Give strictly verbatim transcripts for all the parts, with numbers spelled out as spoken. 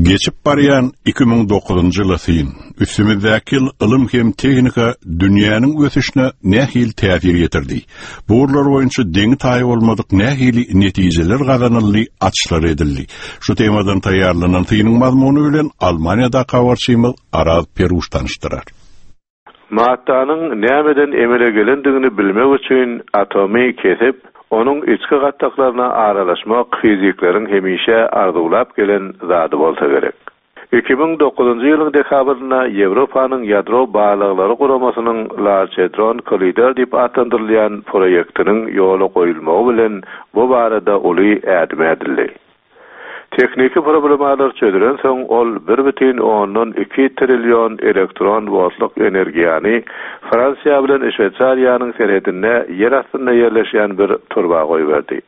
Geçip barýan iki müň dokuzynjy ýyla syn. Üstümizdäki ýyl ylym hem tehnika dünýäniň ösüşine nähili täsir ýetirdi? Bu ugurlar boýunça deňi-taýy bolmadyk nähili netijeler gazanyldy, açyşlar edildi? Şu temadan taýýarlanan synyň mazmuny bilen Almaniýadaky habarçymyz Araz Peruş tanyşdyrar. Maddanyň nämeden emele gelendigini bilmek üçin atomy kesip, onuň içki gatlaklaryna aralaşmak fizikleriň hemişe arzuwlap gelen zady bolsa gerek. Iki müň dokuzynjy ýylyň dekabrynda Ýewropanyň ýadro barlaglary guramasynyň Large Hadron Collider diýip atlandyrylýan proýektiniň ýola goýulmagy bilen bu barada uly ädim ädildi. Tehniki problemalar çözülensoň, ol bir bütin ondan iki trillion elektron woltlyk energiýany Fransiýa bilen Şweýsariýanyň serhedinde ýer astynda ýerleşýän bir turba goýberdi.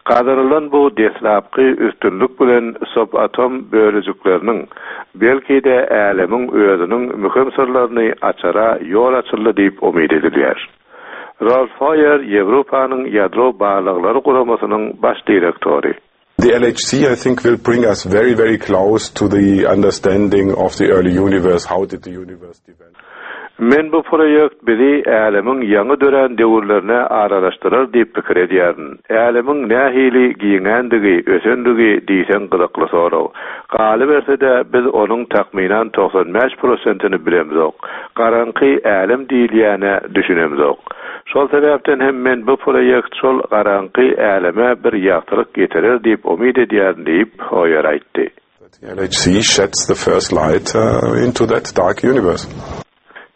Gazanylan bu deslapky üstünlik bilen subatom bölejikleriniň, belki-de älemiň özüniň möhüm syrlaryny açara ýol açyldy diýip umyt edilýär. Rolf Hoyer, Ýewropanyň ýadro barlaglary guramasynyň baş direktory. The L H C, I think, will bring us very, very close to the understanding of the early universe. How did the universe develop? Men bu proýekt bizi älemiň ýaňy dörän döwürlerine aralaşdyrar diýip pikir edýärin. Älemiň nähili giňändigi, ösendigi diýseň gyzykly sorag. Galyberse-de biz onuň takmynan togsan bäş prosentini bilemzok. Garaňky älem diýilýäne düşünemzok. Şol sebäpden hem men bu proýekt şol garaňky äleme bir ýagtylyk getirer diýip umyt edýärin diýip Hoyer aýtdy. The L H C sheds the first light, uh, into that dark universe.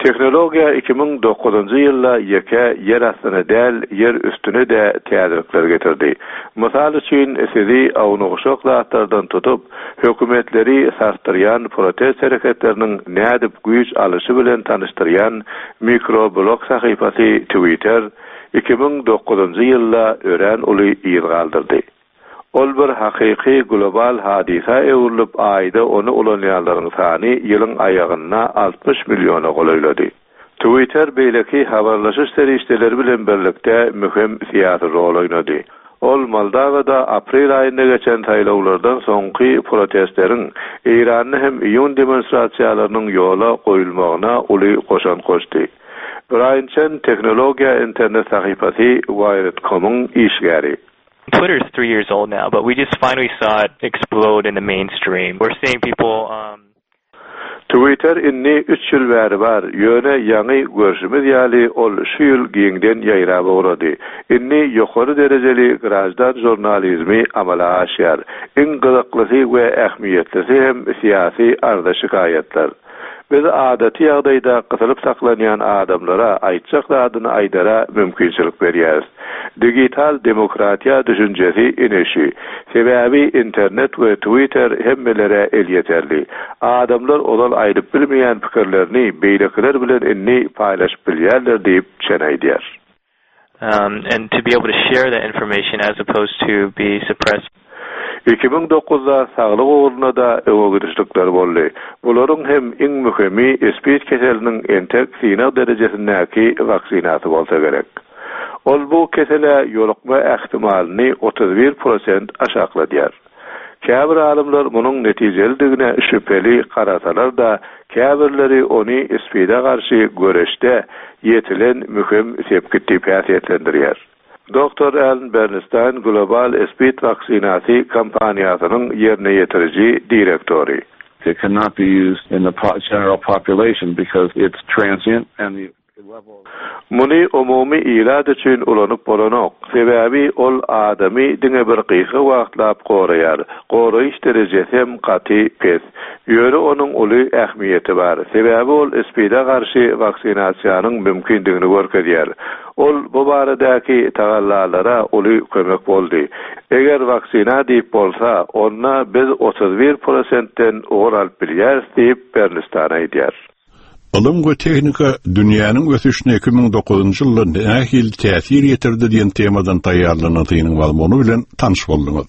Tehnologiýa iki müň dokuzynjy ýylda ýeke ýer astyna däl, ýer üstüne de täzelikler getirdi. Mysal üçin sizi awnugşak zatlardan tutup, hökümetleri sarsdyrýan protest hereketleriniň nädip güýç alyşy bilen tanyşdyrýan mikroblog sahypasy Twitter iki müň dokuzynjy ýylda örän uly yz galdyrdy. Ol bir hakyky global hadysa öwrülip, aýda ony ulanýanlaryň sany ýylyň aýagynda altmyş milliona golaýlady. Twitter beýleki habarlaşyş serişdeleri bilen birlikde möhüm syýasy rol oýnady. Ol Moldawada aprel aýynda geçen saýlawlardan soňky protestleriň Eýranda hem iýun demonstrasiýalarynyň ýola goýulmagyna uly goşant goşdy. Brian Chen tehnologiýa internet sahypasy Wired nokta com'yň işgäri. Twitter is three years old now, but we just finally saw it explode in the mainstream. We're seeing people, um, Twitter indi üç ýyl bäri bar, ýöne ýaňy görşümiz ýaly ol şu ýyl giňden ýaýrap ugrady. Indi ýokary derejeli grajdan jurnalizmi amala aşýar. Iň gyzyklysy we ähmiýetlisi hem syýasy arza şikaýatlar. Biz adaty ýagdaýda gysylyp saklanýan adamlara aýtjak zadyny aýdara mümkinçilik berýäris. Digital demokratiýa düşünjesi ineşi. Sebäbi internet we Twitter hemmelere elýeterli. Adamlar ozal aýdyp bilmeýän pikirlerini beýlekiler bilen indi paýlaşyp bilýärler diýip Chen aýdýar. Um, and to be able to share that information as opposed to be suppressed. Iki müň dokuzda saglyk ugrunda da öňe gidişlikler boldy. Bularyň hem iň möhümi SPID keseliniň entek synag derejesindäki waksinasy bolsa gerek. Ol bu kesele ýolukma ähtimalyny otuz bir prosent aşakladýar. Käbir alymlar munuň netijelidigine şübheli garasalar da, käbirleri ony SPID-e garşy göreşde ýetilen möhüm sepgit diýip häsiýetlendirýär. Doktor Alan Bernstein Global SPID waksinasy kampaniýasynyň ýerine ýetiriji direktory. It cannot be used in the po-, general population because it's transient and the level Muny umumy ilat üçin ulanyp bolanok. Sebäbi ol adamy diňe bir gysga wagtlap goraýar. Goraýyş derejesi hem gaty pes. Ýöne onuň uly ähmiýeti bar. Sebäbi ol SPID-e garşy waksinasiýanyň mümkindigini görkezýär. Ol bu baradaky tagallalara uly kömek boldy. Eger waksina diýip bolsa, onda biz otuz bir prosentden ugur alyp bilýäris diýip Bernstein aýdýar. Ylym we tehnika dünýäniň ösüşine iki müň dokuzynjy ýylda nähili täsir ýetirdi diýen temadan taýýarlanan synyň mazmuny bilen tanyş bolduňyz.